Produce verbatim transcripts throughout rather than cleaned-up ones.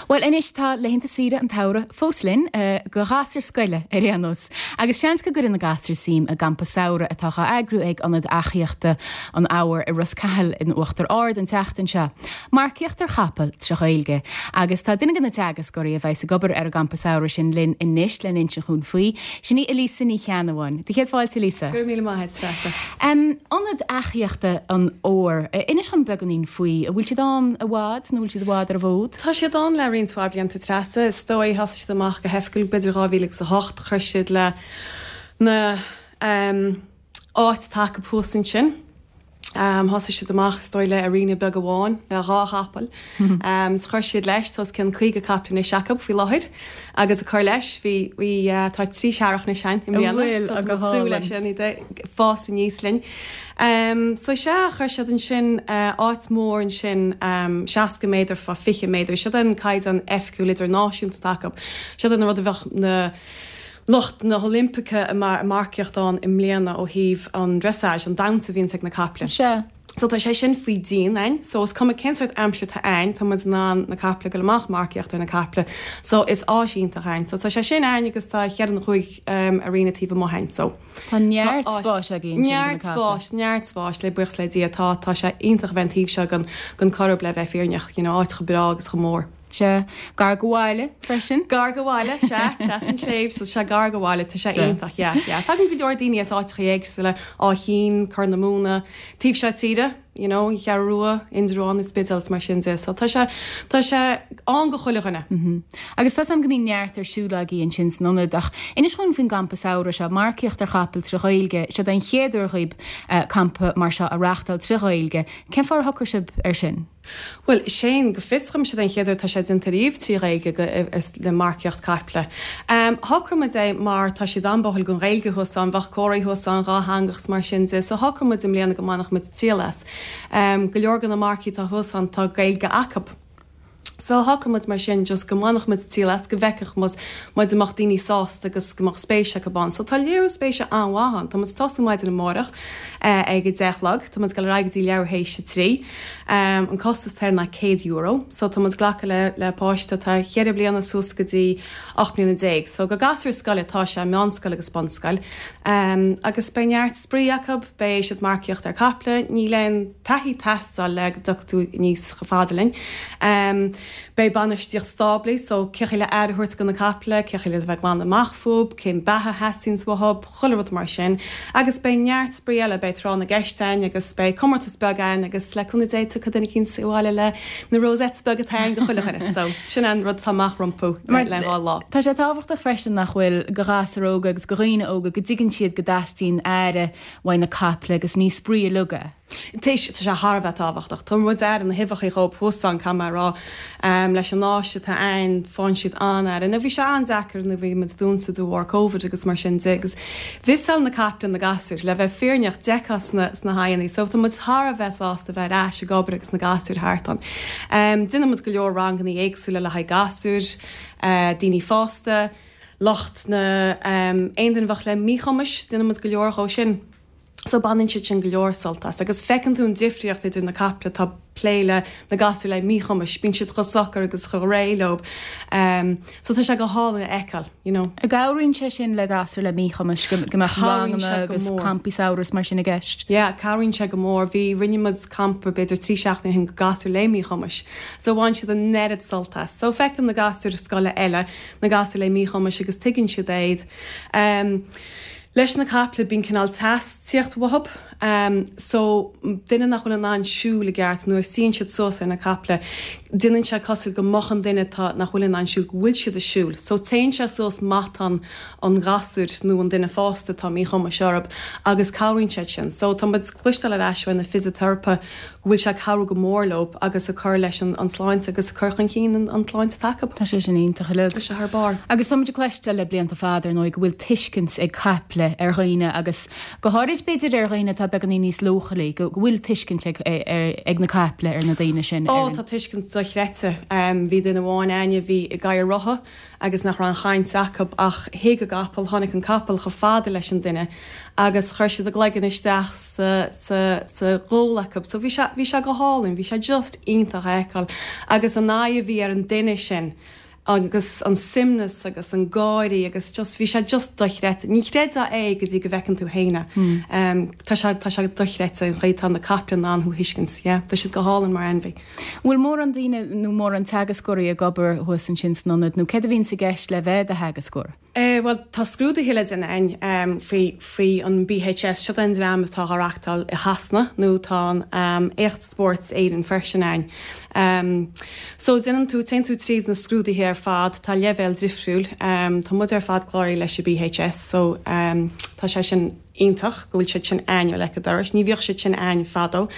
Well anois tá laethanta saoire an tsamhraidh fós linn uh, go ghasúir scoile ar aon nós. Agus seans go gcuireann na gasúir suim i gcampa samhraidh atá á eagrú ag Ionad Eachaíochta an Fhómhair i Ros Cathail in Uachtar Ard an tseachtain seo. Marcaíocht ar chapall trí Ghaeilge. Agus tá duine de na teagascóirí a bheas ag obair ar an gcampa samhraidh sin linn anois le n-insint dúinn faoi, sin í Elisa Ní Cheannabháin. Céad fáilte Elisa. Gur míle maith Treasa. Um, Ionad Eachaíochta an Fhómhair, inis dom beagáinín faoi, an bhfuil siad ann i bhfad nó bhfuil siad i bhfad ar an bhfód? Tá siad ann le roinnt mhaith blianta Treasa, is dóigh thosaigh siad amach go hoifigiúil b'fhéidir dhá mhíle agus a hocht chuir siad le na um, áit atá acu thuas ansin. Um, thosaigh siad amach is dóigh le arena beag amháin le dhá chapall. Um, so chuir siad leis tá os cionn caoga capall anois acu faoi láthair agus a chur leis bhí bhí uh, tá trí searrach na sein i mbliana, bhfuil, so agus tá súil hálainn. leis sin iad fás aníos linn. Um, so sé chuir siad ansin uh, áit mór ansin um, seasca méadar fá fiche méadar, Siod an caighdeán oifigiúil idirnáisiúnta atá acu. Siod an rud a bheadh na lucht na hOilimpeacha mar marcaíocht ann i mbliana ó thaobh an dressage an damhsa a bhíonn ag na caiple. Se. So tá sé sin faoi díon ann, so is cuma cén sórt aimsir atá ann, tá muid in ann na caiple go amach marcaíocht ar na caiple, so is áis iontach ann. So tá sé sin ann agus tá cheithre nó cúig um, arena taobh amuigh ann, so. Tá neart Tá áis- spáis againn sin Neart do na caiple. spáis, neart spáis le buíochas le Dia tá tá sé iontach bheith taobh seo den den Choirib le bheith fírinneach, you know, áit chomh breá agus chomh mór. Se gar go bhaile freisin. Gar go bhaile se trasna an tsléibhe so sé gar go bhaile tá sé Se. iontach yeah, yeah. Tagann go leor daoine as áiteacha éagsúla Áth Chinn Corr na Móna, taobh seo tíre, you know, Cheathrú Rua, Indreabhán is Spidéal mar sin de, so tá sé tá sé ann go chuile dhuine. Mm. Agus tá am go mbíonn neart ar siúl agaibh ansin san ionad ach inis dúinn faoin gcampa samhraidh seo marcaíocht ar chapall trí Ghaeilge, seo an chéad uair dhaoibh uh, campa mar seo a reáchtáil trí Ghaeilge. Cén fáth ar shocraigh sibh ar sin? Well sé go fioscham sé an chéad tá sé déanta riamh trí Ghaeilge go le marcaíocht caiple. Um, Shocraigh muid é mar tá siad an-báúil don Ghaeilge thuas ann bheadh comhrá thuas ann dátheangach mar sin de, so shocraigh muid i mbliana go mbainfeadh muid triail as. Um, go leor de na marcaigh atá thuas ann tá Gaeilge acu. So shocraigh muid mar sin just go mbainfeadh muid triail as go bhfeicfeadh muid muid amach daoine sásta agus go mbeadh spéis acu ann. So tá léiriú spéise an-mhaith ann, Tá muid tosú maidin amárach uh, ag a deich a chlog, Tá muid ag dul ar aghaidh go dtí leathuair théis a trí. Um, an costas air ná céad euro, so tá muid glacadh le, le páiste tá ceithre bliana suas go dtí ocht mbliana déag. So go gasúir scoile tá sé meánscoil agus bunscoil. Um, agus beidh neart spraoi acu beidh siad marcaíocht ar caiple, níl aon taithí ag teastáil le go dtiocfaidh tú níos fada linn. Um, Beidh bainistíocht stáblaí, so cé le aire a thabhairt do na caiple, cé le bheith glan amach fúthu, cén beatha theastaíonn uathu, chuile rud mar sin, agus beidh neart spraoi eile beidh tráth na gceist ann agus beidh comórtas beag ann agus le cúnamh Dé tiocfaidh duine éicint abhaile le na rosettes beaga atá go chuile dhuine. So sin an rud atá amach rompu le dhá lá. Tá sé tábhachtach freisin nach bhfuil go ghasúir óga agus go dhaoine óga go dtuigeann siad go dteastaíonn aire uaidh na caiple agus ní spraoi uilig é. Tá sé thar a bheith tábhachtach. Tá muid ar na huibheacha chomh thuas ann mar rá um, leis an áis atá ann faigheann siad an-aire. Na bhí sé an-deacair nuair a bhí muid dúnta de bharr COVID agus mar sin de agus mhissáil na caiple na gasúir le bheith fírinneach deá sna, sna haíonna, so tá muid thar a bheith sásta bheith ar ais ag obair agus na gasúir thart ann. Um, Déanann muid go leor ranganna éagsúla le haghaidh gasúir, uh, daoine fásta, lucht na um, aon duine bheadh le míchumais, déanann muid go leor dhó sin. So baineann siad sin go leor sult as, agus feiceann tú an difríocht idir na caiple tá plé le na gasúir le míchumais, bíonn siad chomh socair agus chomh réidh leo. Um, so tá sé go hálainn a fheiceáil, you know. An gcabhraíonn sé sin le gasúir le míchumais go go mbeadh Cabhraíonn sé ranganna go agus mór. campaí samhraidh mar sin i gceist. Yeah, cabhraíonn sé go mór, bhí rinne muid campa b'fhéidir trí seachtaine ó shin go gasúir le míchumais. So bhain siad an oiread sult as. So feiceann na gasúir scoile eile na gasúir le míchumais agus tuigeann siad iad. Um, Leis na caiple bíonn cineál teas ag tíocht uathu, um, so duine nach bhfuil in ann siúl i gceart nuair a suíonn siad suas ar na caiple, déanann sé cosúil go mbeadh an duine tá nach bhfuil in ann siúl go bhfuil siad ag siúl. So téann sé suas matán an ghasúir nó an duine fásta tá míchumais orthu agus cabhraíonn sé sin. So tá muid cloisteáil ar ais ó na fisiteiripe go bhfuil sé cabhrú go mór leo agus a chur leis an, an sláinte agus a chur chun cinn an, an tsláinte acu. Tá sé sin iontach uilig. Tá sé thar barr. Agus tá muid ag cloisteáil le blianta fada ar ndóigh go bhfuil tuiscint ag caiple ar dhaoine agus go háirid b'fhéidir ar dhaoine atá beagáinín níos leochailí, go bhfuil tuiscint ag, ag na caiple ar na daoine sin. Ó tá tuiscint dochreidte. Bhí duine amháin a'inne a bhí i gcathaoir rotha agus nach raibh an chaint acu ach thuig an capall, tháinig an capall chomh fada leis an duine agus chuir siad a gcloigeann isteach sa, sa, sa ghual acu. So bhí sé, bhí sé go hálainn, bhí sé just iontach a fheiceáil agus an aghaidh a bhí ar an duine sin agus an suaimhneas agus an gáirí agus just bhí sé just dochreidte. Ní chreidfeá é go dtí go bhfeiceann tú féin é. Mm. Tá sé tá sé dochreidte an chaoi tá na caiple in ann thú a thuiscint, yeah. Tá siad go hálainn mar ainmhí. Bhfuil mórán daoine nó mórán teagascóirí ag obair thuas ansin san ionad nó céard a bhíonn i gceist le bheith i do theagascóir? Eh, Bhuel tá scrúduithe le déanamh um, faoi faoi an BHS seo an dream atá á reáchtáil i Shasana nó tá an um, Éacht Spóirt Éireann freisin ann. Um, so déanann tú téann tú tríd na scrúduithe ar fad tá leibhéal difriúil um, tá muid ar fad cláraithe leis an BHS so um, tá sé sin iontach go bhfuil siad sin ann le doras, ní bhíodh siad sin ann fadó.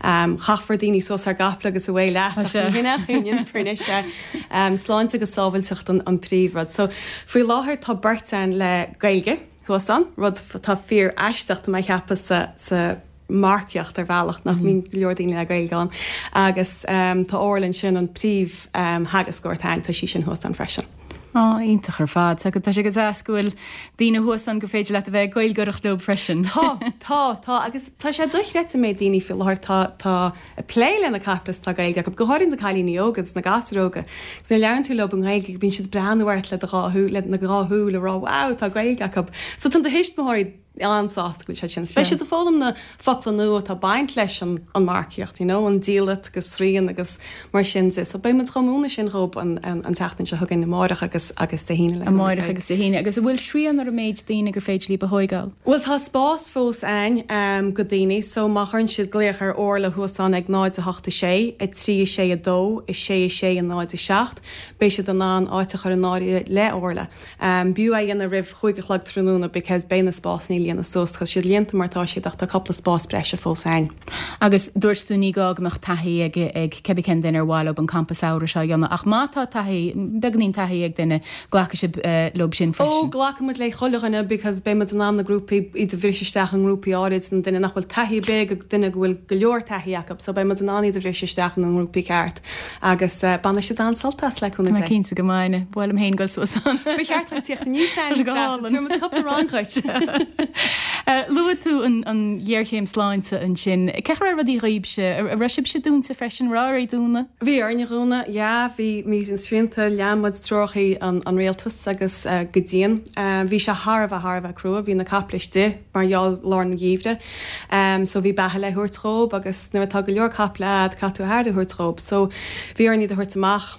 Um, Chaithfear daoine suas ar gcapall agus away leat se um, sláinte agus sábháilteacht an, an príomhrud. So faoi láthair tá beirt ann le Gaeilge thuas ann, rud tá fíor aisteach mé cheapadh sa, sa marcaíocht ar bhealach nach mbíonn mm. leor daoine le Gaeilge ann agus um, tá Orla sin an príomh um, theagascóir tá sí sin thuas ann freisin. Á iontach ar fad, tá sé go deas go bhfuil daoine thuas ann gur féidir leat a bheith Gaeilgeoireacht leo freisin. Tá tá tá agus tá sé dochreidte méid daoine faoi láthair tá tá ag plé le na caiple tá Gaeilge go háirithe na cailíní óga agus na gasúir óga. Agus nuair a labhraíonn tú leo an Ghaeilge bíonn siad breathnú ort le do dhá le na dhá shúil le rá wow tá Gaeilge acu. So tá do thuismitheoirí an-sásta go bhfuil sé sin. Beidh siad ag foghlaim na focla nua atá baint leis an an marcaíocht, you know, an diallait agus srian agus mar sin de. So beidh muid chomh múineadh sin dhóibh an, an, an tseachtain seo chugainn amárach agus agus Dé hAoine le Amárach agus Dé hAoine agus an bhfuil srian ar an méid daoine gur féidir libh a thógáil. Well tá spás fós ann um, go daoine, so má chuireann siad glaoch ar Orla thuas ann ag náid a hocht a sé, a trí a sé a dó, a sé a sé a náid a seacht, beidh siad in ann áit a chur in áirithe le Orla. Um, B'fhiú é a dhéanamh roimh chúig a chlog tráthnóna because beidh na spásanna líonadh suas chus siad líonta mar tá siad ach tá cúpla spás breise fós ann. Agus dúirt tú ní gá go mbeadh taithí ag ag cibé cén duine ar mhaith leo an campa samhraidh seo a dhéanamh ach má tá taithí beagáinín taithí ag duine glacfaidh sibh uh, leo sin freisin. Ó glacaimid le chuile dhuine because beidh muid in ann na grúpaí iad a bhriseadh isteach an grúpaí áirid an duine nach bhfuil taithí big ag duine go bhfuil go leor taithí acu, so beidh muid in ann iad a bhriseadh isteach an grúpaí ceart agus uh, bainfidh siad an-sult as le cúnamh Tá cinnte go mbainfidh, ba mhaith liom féin dul suas ann. Ba cheart duit tíocht aníos cúpla rang chugat. Luaigh tú an, an ghéarchéim sláinte ansin. Cén chaoi a raibh rudaí dhaoibhse, a raibh sibhse dúnta freisin rá é dúnadh? Bhí orainn dúnadh, yeah, bhí mí an srianta lean muid treoracha an, an rialtas agus uh, go dian. Uh, bhí sé thar a bheith thar a bheith crua, bhí na caiple istigh mar gheall lár an gheimhridh. Um, so bhí beatha le thabhairt dhóibh agus nuair atá go leor caiple agat caithfidh tú aire a thabhairt dhóibh. So bhí orainn iad a thabhairt amach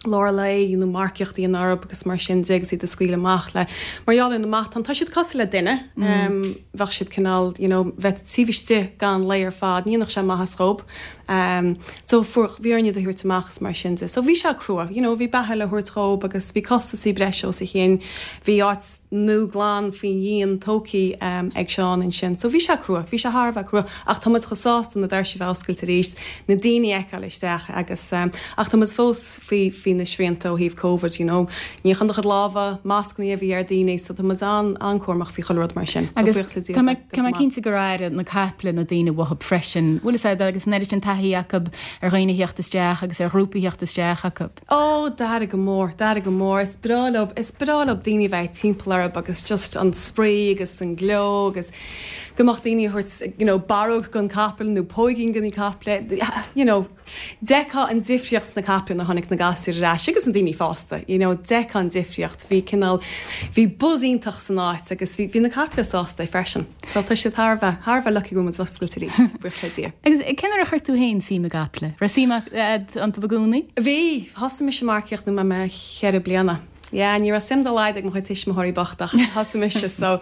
lár lae nó marcaíochtaí an arb agus mar sin de agus iad a scaoileadh amach le mar gheall ar na matáin tá siad cosúil le duine mm. um, bheadh siad cineál you know, bheith taobh istigh gan lao ar fad ní nach sé maitheas dhóibh um, so fuair bhí orainn iad a thabhairt amach is mar sin de so bhí sé crua you know, bhí beatha le thabhairt dhóibh agus bhí costasaí breise os a chionn bhí áit nua glan faoin dhíon tógtha um, ag Seán ansin so bhí sé crua bhí sé thar a bheith crua ach tá muid chomh sásta na doirse bheith oscailte arís na daoine a fheiceáil isteach agus um, ach tá muid fós faoi faoi na srianta ó thaobh COVID you know níochán do chuid lámha mascanna a bhí ar daoine so tá muid an an-chúramach faoi chuile rud mar sin So Agus buíochas le Dia tá mé go tá mé maith. cinnte gur airigh na caiple na daoine uathu freisin. Bhfuil sé agus an sin taithí acu ar dhaoine theacht isteach agus ar ghrúpaí theacht isteach acu. Ó d'airigh go mór, d'airigh go mór, is breá leo is breá leo daoine bheith timpeall orthu agus just an spraoi agus an gleo agus go mbeadh daoine thabhairt you know, barróg don capall nó póigín do na caiple you know, D'fheicfeá an difríocht sna caiple nuair a tháinig na gasúir ar ais agus an daoine fásta, you know, d'fheicfeá an difríocht, bhí cineál bhí buzz iontach san áit agus bhí bhí na caiple sásta freisin. So tá sé thar a bheith thar a bheith lucky go bhfuil muid oscailte arís, buíochas le Dia. Agus cén uair a chuir tú féin suim i gcaiple? Raibh suim agat iontu i gcónaí? Bhí thosaigh mise marcaíocht nuair a bhí mé ceithre bliana. Ja, ní raibh suim dá laghad ag mo chuid tuismitheoirí bocht ach thosaigh mise so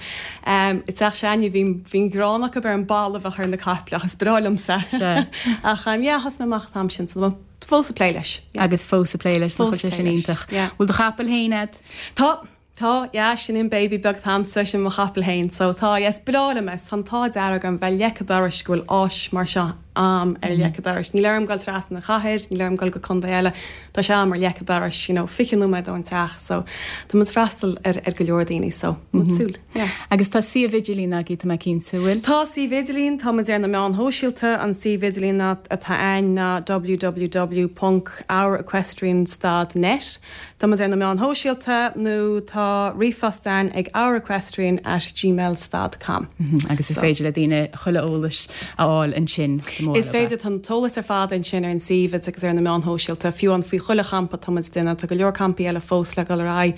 um, i dteach s'againne bhí bhí gráin acu ar an bail a bheadh ar na caiple agus breá liomsa. Sea. Ach um, yeah, thosaigh mé amach an t-am sin so fós ag plé leis. Yeah. Agus fós ag plé leis nach Fós sé ag plé sin leis, iontach. yeah. Bhfuil do chapall féin agat? Tá Tá yeah, sin an baby beag agamsa sin mo chapall féin, so tá yes breá liom é an t-ádh dearg orm bheith leice dorais go bhfuil áis mar seo am ar leic an dorais. Níl orm dul trasna an chathair, níl orm dul go contae eile, tá sé am ar leic an dorais, you know, fiche nóiméad ón teach, so tá muid freastal ar, ar go leor daoine, so mm -hmm. súil. Yeah. Agus tá suíomh idirlín agaibh tá mé cinnte bhfuil? Tá suíomh idirlín, tá muid ar na meáin shóisialta, an suíomh idirlín atá ann ná www.ourequestrian.net. Tá muid ar na meáin shóisialta nó tá ríomhphost ann ag ourequestrian at gmail.com. Mm -hmm. Agus is so. féidir le daoine chuile eolas a fháil ansin. Is féidir an t-eolas ar fad ansin ar an suíomh agus ar na meáin shóisialta fiú an faoi chuile champa tá muid déanamh tá go leor campaí eile fós le dul ar aghaidh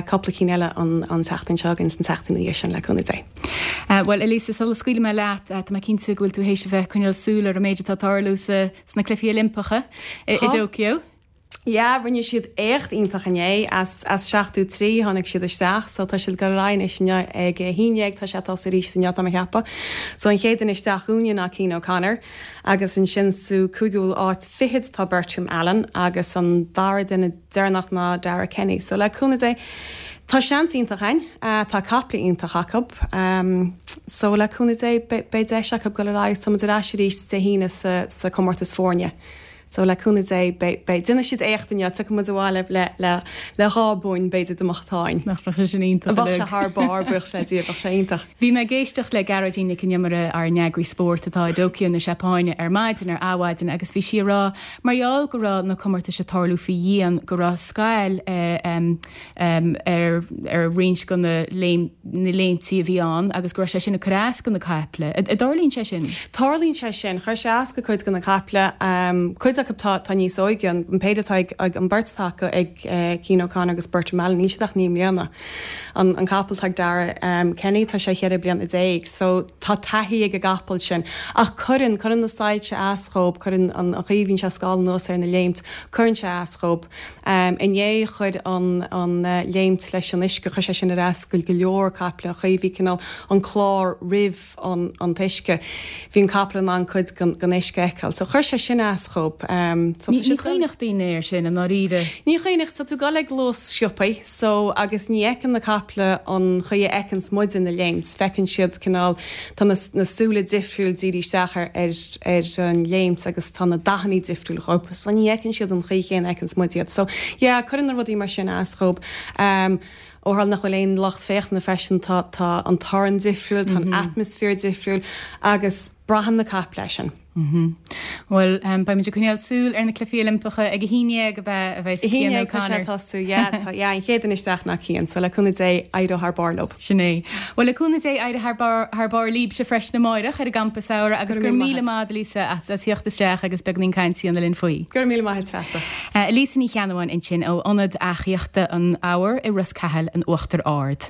cúpla cinn eile an an tseachtain seo agus an tseachtain ina dhiaidh sin le cúnamh Dé. Uh, well Elisa sula scaoilfidh mé leat uh, tá mé cinnte go bhfuil tú théis a bheith coinneáil súil ar an méid atá tarlú sa sna Cluichí Oilimpeacha i, i Tokyo. Ja, rinne siad éacht iontach inné as as seachtú trí tháinig siad isteach, so tá siad go rain inné ag hínéag tá sé tá arís inné tá mé ag ceapadh. So an chéad duine isteach chugainne ná Cian O'Connor agus ansin sa cúigiú áit fichead tá Bertram Allen agus an dara duine deireanach ná Dara Kenny. So le cúnamh Dé Tá seans iontach ann, tá caiple iontach acu, um, so le cúnamh Dé beidh deis acu go ar aghaidh tá muid ar ais arís Dé hAoine sa, sa comórtas foirne. So le cúnamh Dé beidh déanfaidh siad éacht inniu tiocfaidh muid abhaile le le le dhá bonn b'fhéidir dá mbeadh táin. Nach bheadh sé sin iontach. Bheadh sé thar barr buíochas le Dia bheadh sé iontach. Bhí mé ag éisteacht le Gearóidín Nic an Iomaire ár n-eagraí spóirt atá i dTóiceo na Seapáine ar maidin ar Adhmhaidin agus bhí sí ag rá mar gheall go raibh na comórtais ag tarlú faoi dhíon go raibh scail ar ar roinnt de na na léimtí a bhí ann agus go raibh sé sin ag cur as do na caiple. An dtarlaíonn sé sin? Tarlaíonn sé sin, chuir sé as go cuid de na caiple, cuid acu tá tá níos óige, an péire atá ag ag an beirt atá acu ag Cian O'Connor agus Bertram Allen, níl siad ach naoi mbliana. An an capall atá ag Dara Kenny tá sé cheithre bliana déag, so tá taithí ag an gcapall sin. Ach cuireann, cuireann na soilse as dhóibh, cuireann an an chaoi a bhíonn sé scáil anuas ar na léimt, cuireann sé as dhóibh. Inné chuir an an léimt leis an uisce, chuir sé sin ar as go go leor caiple, an chaoi a bhí cineál an clár roimh an an t-uisce, bhí an capall in ann cuid den den uisce a fheiceáil. So chuir sé sin as dhóibh. So Ní chuimhneodh daoine air sin i ndáiríre. Ní chuimhneodh, tá tú ag dul ag luas sciobtha, so agus ní fheiceann na caiple an chaoi a fheiceanns muide na léimt, feiceann siad cineál, tá na na súile difriúil dírithe isteach ar ar ar an léimt agus tá na dathanna difriúil dhóibh, so ní fheiceann siad an chaoi chéanna a fheiceanns muid iad. So yeah, cuireann na rudaí mar sin as dhóibh. Um, ó tharla nach bhfuil aon lucht féachana freisin tá tá an torann difriúil, tá an atmaisféar difriúil agus braitheann na caiple é sin. Bhuel, beidh muid ag coinneáil súil ar na Cluichí Oilimpeacha ag a haon déag a bheith a bheidh Cian O'Connor. Tá sé yeah, tá yeah, an chéad duine isteach ná Cian, so le cúnamh Dé éireoidh thar barr leo. Sin é. Bhuel le cúnamh Dé éireoidh thar barr thar barr libhse freisin amárach ar an gcampa samhraidh agus go raibh míle maith Lisa as as theacht isteach agus beagáinín cainte a dhéanamh linn faoi. Go raibh míle maith Treasa. Lisa Ní Cheannabháin ansin ó Ionad Eachaíochta an Eabhair i Ros Cathail in Uachtar Ard.